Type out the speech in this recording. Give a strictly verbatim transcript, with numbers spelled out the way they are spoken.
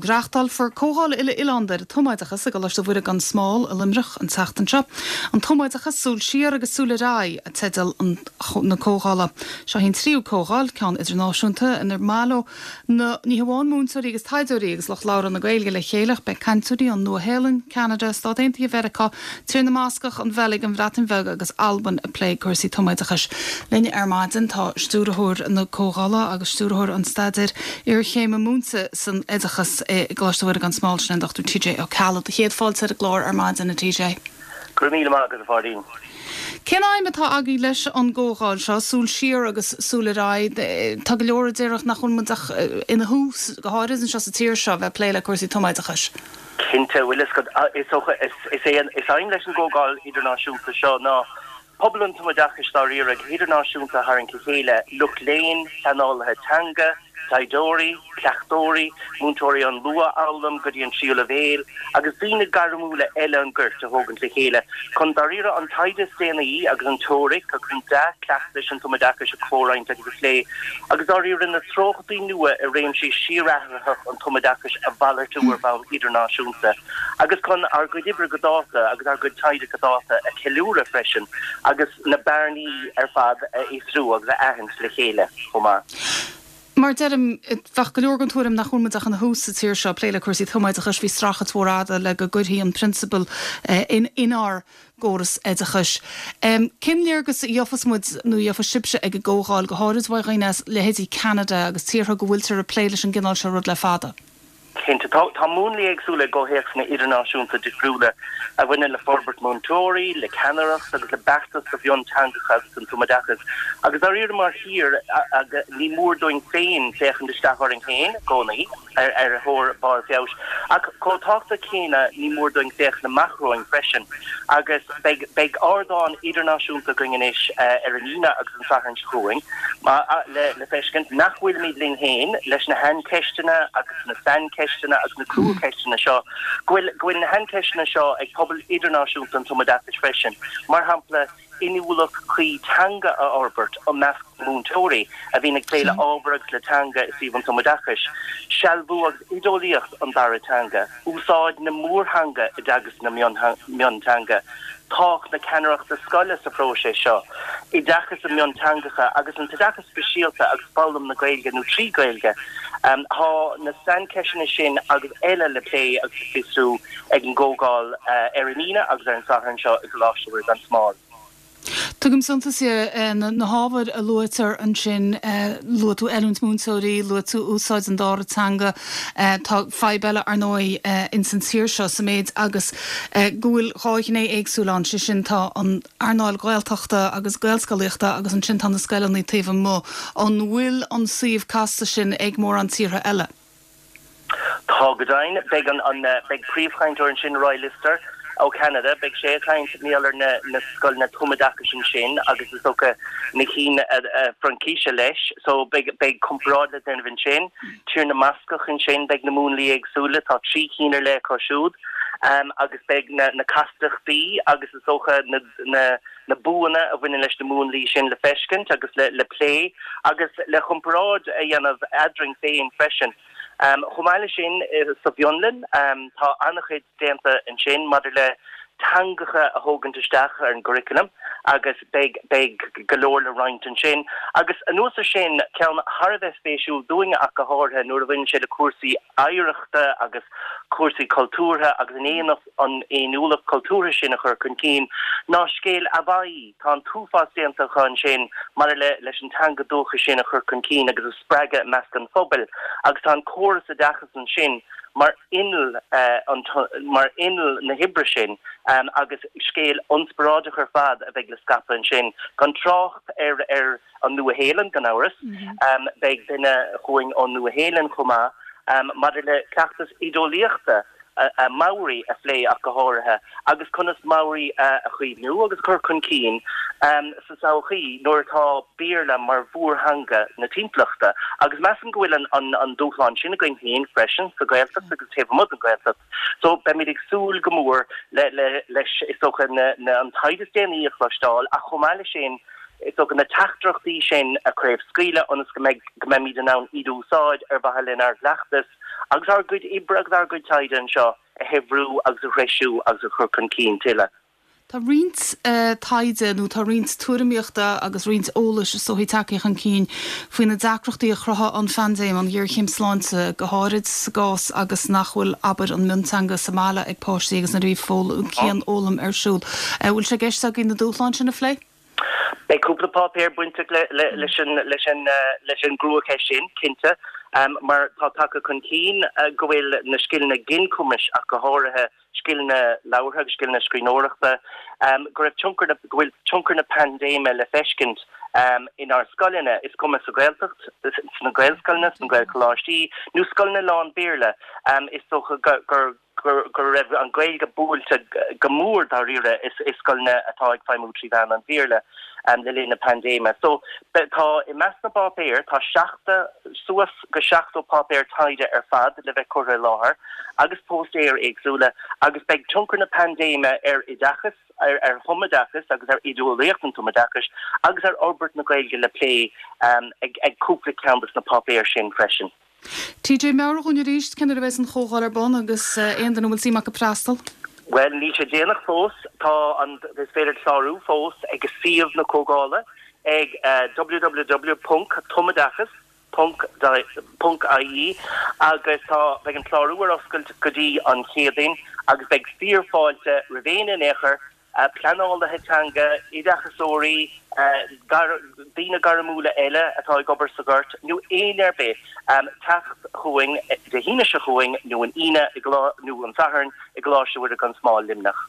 chlog. Reáchtálfar comhdháil uile-oileánda ar an tumoideachas i gColáiste Mhuire gan Smál i Luimneach an tseachtain seo. An tumoideachas súil siar agus súil ar aghaidh a teideal na comhdhála. Seo an tríú comhdháil ceann idirnáisiúnta inar baileoidh na ní hamháin múinteoirí agus taighdeoirí agus lucht labhartha na Gaeilge le chéile beidh cainteoirí ón Nua-Shéalainn, Ceanada, Stáit Aontaithe Mheiriceá, Tír na mBascach an Bheilg an Bhreatain Bheag agus Albain ag plé cúrsaí tumoideachais. Linn ar maidin tá stiúrthóir na comhdhála agus stiúrthóir an staidéir iarchéime múinte san oideachas i gColáiste Mhuire gan Smál sin Dr. TJ Ó Ceallaigh céad fáilte ar an gclár ar maidin a TJ. Gur míle maith agat a Pháidín. Cén aidhm atá agaibh leis an gcomhdháil seo súil siar agus súil ar aghaidh Tá go leor a déarfadh nach bhfuil muid ach ina thús go háirithe anseo sa tír seo bheith plé le cúrsaí tumoideachais. Cinnte bhfuil is is é is aidhm leis an gcomhdháil idirnáisiúnta seo ná pobal an tumoideachais dáiríre idirnáisiúnta a tharraingt le chéile lucht léinn pleanálaithe teanga, taighdeoirí, cleachtóirí, múinteoirí an luathfhoghlaim go dtí an tríú leibhéal, agus daoine gairmiúla eile an ghoirt a thógaint le chéile, chun dáiríre an taighde is déanaí agus an teoiric agus an dea-chleachtais an tumoideachais a chomhroinnt agus a phlé, agus dáiríre na treochtaí nua i réimsí síorathraitheacha an tumoideachais a mhalartú ar bhonn idirnáisiúnta, agus chun ár gcuid oibre go dáta agus ár gcuid taighde go dáta a cheiliúradh freisin, agus na bearnaí ar fad a fhiosrú agus a aithint le chéile chomh maith. Mar deirim bheadh go leor den tuairim nach bhfuil muid ach ina thús sa tír seo plé le cúrsaí tumoideachais bhí streachailt mhór fhada le go gcuirfí an prionsabal in inár gcóras oideachais. Um, Cén léargas a gheofas muid nó gheofas sibhse ag an gcomhdháil go háirid ó dhaoine as leithéidí Canada agus tíortha go bhfuiltear ag plé leis an gcineál seo rud le fada. Cinnte tá tá múnlaí éagsúla i gcomhthéacsanna idirnáisiúnta difriúla a bhaineann le forbairt múinteoirí, le ceannaireacht agus le beartas do mhionteangacha agus an tumoideachas. Agus dáiríre mar thír ní mór dúinn féin féachaint isteach orainn féin i gcónaí ar ar thóir barr feabhais. Ach chomh tábhachtach céanna ní mór dúinn féachaint amach romhainn freisin. agus beidh beidh ardán idirnáisiúnta againn anois ar an Aoine agus an Satharn seo chugainn le le feiscint nach bhfuilimid linn féin leis na haincheisteanna agus na saincheisteanna agus na cruacheisteanna seo go bhfuil go bhfuil na haincheisteanna seo ag pobal idirnáisiúnta an tumoideachais freisin. Mar shampla inniúlacht chuí teanga a fhorbairt i measc múinteoirí a bhíonn ag plé le ábhar agus le teanga i suíomh an tumoideachais, sealbhú agus oideolaíocht an dara teanga, úsáid na mórtheanga i dteagasc na mionteanga, tábhacht na ceannaireachta scoile sa phróiseas seo, oideachas i mionteangacha agus an t-oideachas speisialta agus foghlaim na Gaeilge nó trí Ghaeilge. Tá na saincheisteanna sin agus eile le plé agus le fiosrú ag an gcomhdháil ar an Aoine agus ar an Satharn seo i gColáiste Mhuire gan Smál. Tugaim suntas na na hábhair a luaitear ansin luaigh tú oiliúint múinteoirí, luaigh tú úsáid an dara teanga tá fadhb eile ar ndóigh ins an tír seo sa méid agus go bhfuil dhá ghné éagsúil ann sé sin tá an earnáil Gaeltachta agus Gaelscolaíochta agus ansin tá na scoileanna taobh amuigh an bhfuil an suíomh casta sin ag mórán tíortha eile. Tá go deimhin beidh an an beidh príomhchainteoir ansin Roy Lister ó Canada, beidh sé ag caint maidir le na na scoileanna tumoideachais ansin agus is dócha na cinn Fraincise leis, so beidh beidh comparáid le déanamh ansin, Tír na mBascach ansin beidh na múnlaí éagsúla, tá trí cinn ar leith acu siúd, um, agus beidh na, na castachtaí agus is dócha na, na, na buanna a bhaineann leis na múnlaí sin le feiscint agus le, le plé agus le comparáid a dhéanamh eadrainn féin freisin. Um, chomh maith leis sin sa bhFionlainn um, tá an-chuid déanta ansin maidir le teangacha a thógaint isteach ar an gcurriculum agus beidh beidh go leor le roinnt ansin. Agus anuas air sin ceann thar a bheith spéisiúil dúinne ach go háirithe nuair a bhaineann sé le cúrsaí oidhreachta agus cúrsaí cultúrtha agus an aon an fhéiniúlacht cultúrtha sin a chur chun cinn ná scéal Haváí tá an t-uafás déanta ansin mar le leis an teanga dúchais sin a chur chun cinn agus a spreagadh i measc an phobail agus tá an córas oideachais ansin mar inneall uh, an mar inneall na hoibre sin um, agus scéal inspioráideach ar fad a bheidh le scaipeadh ansin gan trácht ar ar an Nua-Shéalainn gan amhras mm -hmm. um, beidh duine chugainn ón Nua-Shéalainn chomh maith um, maidir le cleachtas oideolaíochta a Maori a phlé ach go háirithe agus conas Maori a chaomhnú agus chur chun cinn um, sa todhchaí nuair atá Béarla mar mhórtheanga na timpeallachta agus measaim go bhfuil an, an, an dúshlán sin againn féin freisin sa Ghaeltacht agus taobh amuigh den Ghaeltacht. So beimid ag súil go mór le, le, leis is dócha na, na an taighde is déanaí a chloisteáil ach chomh maith leis sin Is dócha na teachtaireachtaí sin a chraobhscaoileadh ionas go mbeidh go mbeimid in ann iad a úsáid ar mhaithe lenár gcleachtas agus ár gcuid oibre agus ár gcuid taighde anseo a shaibhriú agus a threisiú agus a chur chun cinn tuilleadh. Tá roinnt taighde nó tá roinnt tuairimíochta agus roinnt eolais is dóichí tagtha chun cinn faoi na deacrachtaí a chruthaigh an phaindéim, an ghéarchéim sláinte, go háirid sa gcás agus nach bhfuil abair an mionteanga sa mbaile ag páistí agus nuair a bhí cianfhoghlaim ar siúl. Bhfuil sé i gceist agaibh na dúshláin sin a phlé? Beidh cúpla páipéar bainteach leis an leis an leis an gcruacheist sin, cinnte, mar tá tagtha chun cinn go bhfuil na scileanna ginchumais ach go háirithe scileanna labhartha agus scileanna scríbhneoireachta, go raibh tionchar na, go bhfuil tionchar na paindéime le feiscint inár scoileanna, is cuma sa Ghaeltacht, sna Gaelscoileanna, sna Gaelcholáistí nó scoileanna lán-Bhéarla, is dócha gur go raibh an Ghaeilge buailte go mór dáiríre i scoileanna atá ag feidhmiú trí mheán an Bhéarla le linn na paindéime. So tá i measc na bpáipéar tá seachtó suas go seachtó páipéar taighde ar fad le bheith curtha i láthair agus póstaeir éagsúla agus beidh tionchar na paindéime ar oideachas, ar ar thumoideachas agus ar oideolaíocht an tumoideachais agus ar fhorbairt na Gaeilge le plé ag ag cúpla ceann de na páipéir sin freisin. TJ meabhraigh dúinn arís cén uair a bheas an chomhdháil ar bun agus aon duine a bhfuil suim acu freastal? Bhuel, níl sé déanach fós. Tá an is féidir clárú fós ag suíomh na comhdhála ag www ponc tumoideachas ponc ponc ie agus tá beidh an clárú ar oscailt go dtí an Chéadaoin agus beidh fíorfháilte roimh éinne in aon chor pleanálaithe teanga, oideachasóirí, daoine gairmiúla eile atá ag obair sa ghort nó éinne ar bith teacht chugainn Dé hAoine seo chugainn nó an Aoine nó an Satharn i gColáiste Mhuire gan Smál, Luimneach.